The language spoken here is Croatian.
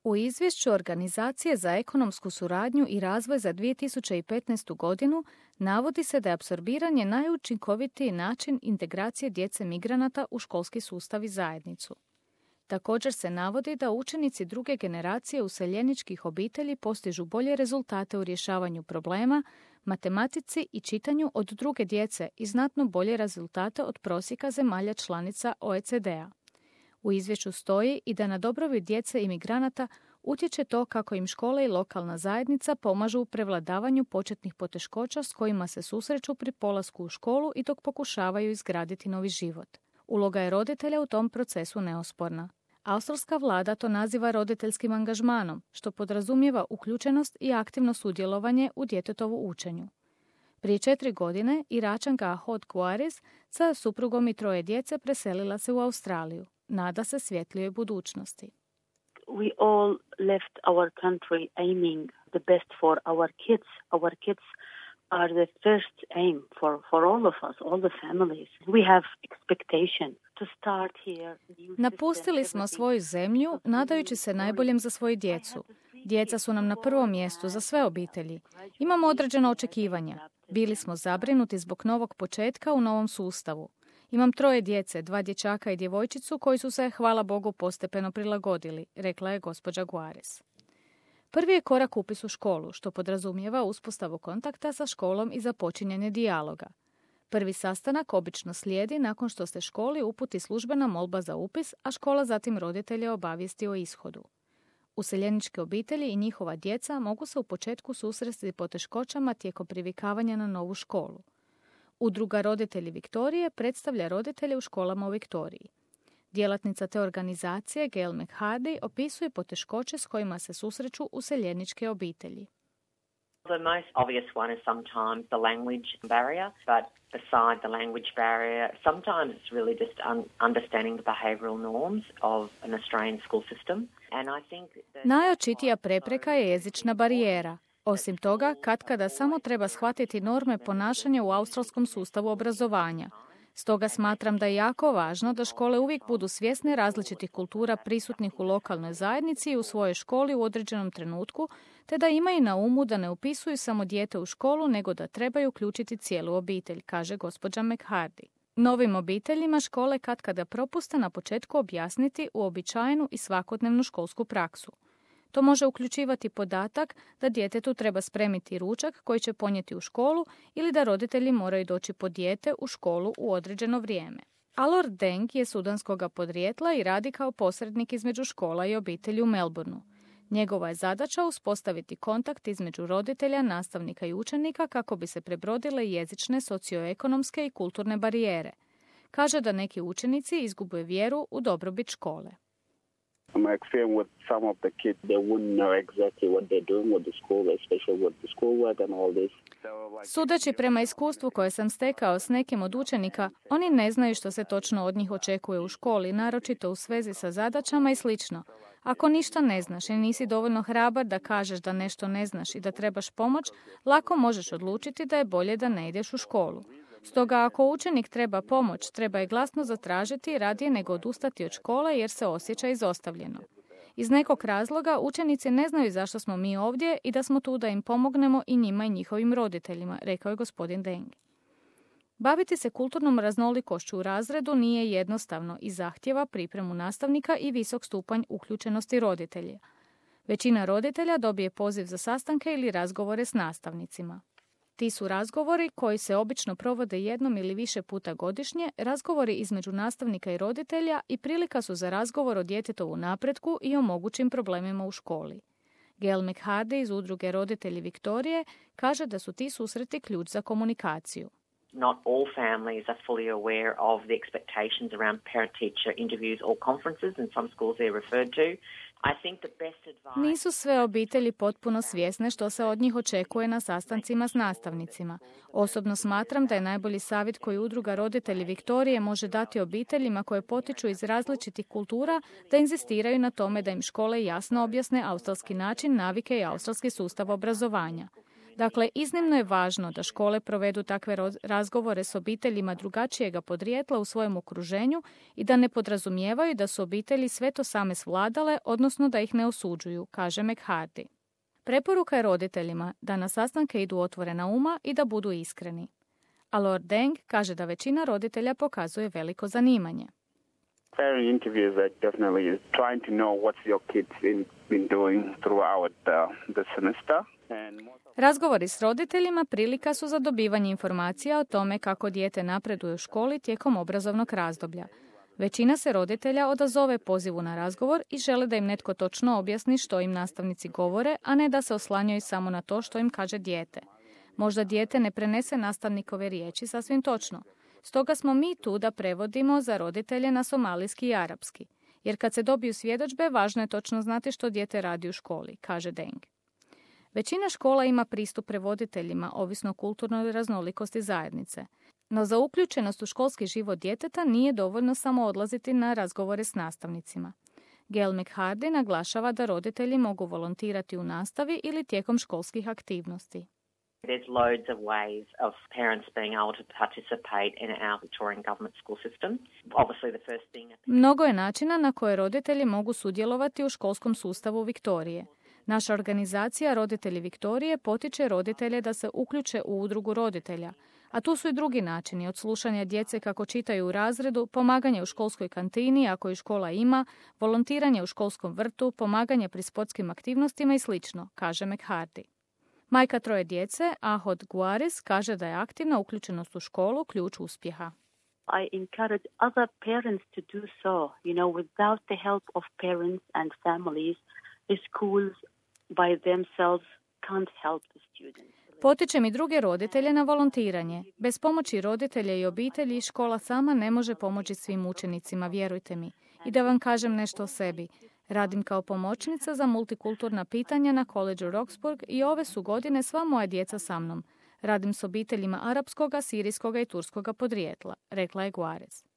U izvješću Organizacije za ekonomsku suradnju i razvoj za 2015. godinu navodi se da je apsorbiranje najučinkovitiji način integracije djece migranata u školski sustav i zajednicu. Također se navodi da učenici druge generacije useljeničkih obitelji postižu bolje rezultate u rješavanju problema, matematici i čitanju od druge djece i znatno bolje rezultate od prosjeka zemalja članica OECD-a. U izvješću stoji i da na dobrobit djece imigranata utječe to kako im škole i lokalna zajednica pomažu u prevladavanju početnih poteškoća s kojima se susreću pri polasku u školu i dok pokušavaju izgraditi novi život. Uloga je roditelja u tom procesu neosporna. Australska vlada to naziva roditeljskim angažmanom, što podrazumijeva uključenost i aktivno sudjelovanje u djetetovu učenju. Prije 4 godine Iračanka Ahod Guaris sa suprugom i 3 djece preselila se u Australiju. Nada se svjetlijoj budućnosti. We all left our country aiming the best for our kids. Our kids are the first aim for all of us, all the families. We have expectation to start here. Napustili smo svoju zemlju nadajući se najboljem za svoju djecu. Djeca su nam na prvom mjestu za sve obitelji. Imamo određena očekivanja. Bili smo zabrinuti zbog novog početka u novom sustavu. Imam 3 djece, 2 dječaka i djevojčicu koji su se, hvala Bogu, postepeno prilagodili, rekla je gospođa Guares. Prvi je korak upis u školu, što podrazumijeva uspostavu kontakta sa školom i započinjanje dijaloga. Prvi sastanak obično slijedi nakon što se školi uputi službena molba za upis, a škola zatim roditelje obavijesti o ishodu. Useljeničke obitelji i njihova djeca mogu se u početku susresti poteškoćama tijekom privikavanja na novu školu. Udruga Roditelji Viktorije predstavlja roditelje u školama u Viktoriji. Djelatnica te organizacije, Gail McHardy, opisuje poteškoće s kojima se susreću useljeničke obitelji. The most obvious one is sometimes the language barrier, but beside the language barrier, sometimes it's really just understanding the behavioural norms of an Australian school system. And I think najočitija prepreka je jezična barijera. Osim toga, katkada samo treba shvatiti norme ponašanja u australskom sustavu obrazovanja. Stoga smatram da je jako važno da škole uvijek budu svjesne različitih kultura prisutnih u lokalnoj zajednici i u svojoj školi u određenom trenutku, te da imaju na umu da ne upisuju samo dijete u školu, nego da trebaju uključiti cijelu obitelj, kaže gospođa McHardy. Novim obiteljima škole katkada propuste na početku objasniti uobičajenu i svakodnevnu školsku praksu. To može uključivati podatak da djetetu treba spremiti ručak koji će ponijeti u školu ili da roditelji moraju doći po dijete u školu u određeno vrijeme. Alor Deng je sudanskog podrijetla i radi kao posrednik između škola i obitelji u Melbourneu. Njegova je zadaća uspostaviti kontakt između roditelja, nastavnika i učenika kako bi se prebrodile jezične, socioekonomske i kulturne barijere. Kaže da neki učenici izgube vjeru u dobrobit škole. My experience with some of the kids, they wouldn't know exactly what they're doing with the school, especially with the schoolwork and all this. Sudeći prema iskustvu koje sam stekao s nekim od učenika, oni ne znaju što se točno od njih očekuje u školi, naročito u svezi sa zadaćama i slično. Ako ništa ne znaš i nisi dovoljno hrabar da kažeš da nešto ne znaš i da trebaš pomoć, lako možeš odlučiti da je bolje da ne ideš u školu. Stoga ako učenik treba pomoć, treba je glasno zatražiti radije nego odustati od škole jer se osjeća izostavljeno. Iz nekog razloga učenici ne znaju zašto smo mi ovdje i da smo tu da im pomognemo i njima i njihovim roditeljima, rekao je gospodin Deng. Baviti se kulturnom raznolikošću u razredu nije jednostavno i zahtjeva pripremu nastavnika i visok stupanj uključenosti roditelja. Većina roditelja dobije poziv za sastanke ili razgovore s nastavnicima. Ti su razgovori koji se obično provode jednom ili više puta godišnje, razgovori između nastavnika i roditelja i prilika su za razgovor o djetetovu napretku i o mogućim problemima u školi. Gail McHardy iz udruge Roditelji Viktorije kaže da su ti susreti ključ za komunikaciju. Not all families are fully aware of the expectations around parent-teacher interviews or conferences, and some schools they're referred to. Nisu sve obitelji potpuno svjesne što se od njih očekuje na sastancima s nastavnicima. Osobno smatram da je najbolji savjet koji udruga Roditelji Viktorije može dati obiteljima koje potiču iz različitih kultura da inzistiraju na tome da im škole jasno objasne australski način, navike i australski sustav obrazovanja. Dakle, iznimno je važno da škole provedu takve razgovore s obiteljima drugačijega podrijetla u svojem okruženju i da ne podrazumijevaju da su obitelji sve to same svladale, odnosno da ih ne osuđuju, kaže McHardy. Preporuka je roditeljima da na sastanke idu otvorena uma i da budu iskreni. A Lord Deng kaže da većina roditelja pokazuje veliko zanimanje. Parent interviews are definitely trying to know what's your kids been doing throughout the semester. Razgovori s roditeljima prilika su za dobivanje informacija o tome kako dijete napreduje u školi tijekom obrazovnog razdoblja. Većina se roditelja odazove pozivu na razgovor i žele da im netko točno objasni što im nastavnici govore, a ne da se oslanjaju samo na to što im kaže dijete. Možda dijete ne prenese nastavnikove riječi sasvim točno. Stoga smo mi tu da prevodimo za roditelje na somalijski i arapski. Jer kad se dobiju svjedodžbe, važno je točno znati što dijete radi u školi, kaže Deng. Većina škola ima pristup prevoditeljima, ovisno o kulturnoj raznolikosti zajednice. No za uključenost u školski život djeteta nije dovoljno samo odlaziti na razgovore s nastavnicima. Gail McHardy naglašava da roditelji mogu volontirati u nastavi ili tijekom školskih aktivnosti. There's loads of ways of parents being able to participate in our Victorian government school system. Obviously the first thing... Mnogo je načina na koje roditelji mogu sudjelovati u školskom sustavu Viktorije. Naša organizacija Roditelji Viktorije potiče roditelje da se uključe u udrugu roditelja, a tu su i drugi načini, od slušanja djece kako čitaju u razredu, pomaganje u školskoj kantini ako i škola ima, volontiranje u školskom vrtu, pomaganje pri sportskim aktivnostima i sl., kaže McHardy. Majka 3 djece, Ahod Guaris, kaže da je aktivna uključenost u školu ključ uspjeha. I encourage other parents to do so. Without the help of parents and families, the schools by themselves can't help the students. Potičem i druge roditelje na volontiranje. Bez pomoći roditelja i obitelji škola sama ne može pomoći svim učenicima, vjerujte mi. I da vam kažem nešto o sebi. Radim kao pomoćnica za multikulturna pitanja na Collegeu Roxburgh i ove su godine sva moja djeca sa mnom. Radim s obiteljima arapskoga, sirijskoga i turskoga podrijetla, rekla je Guares.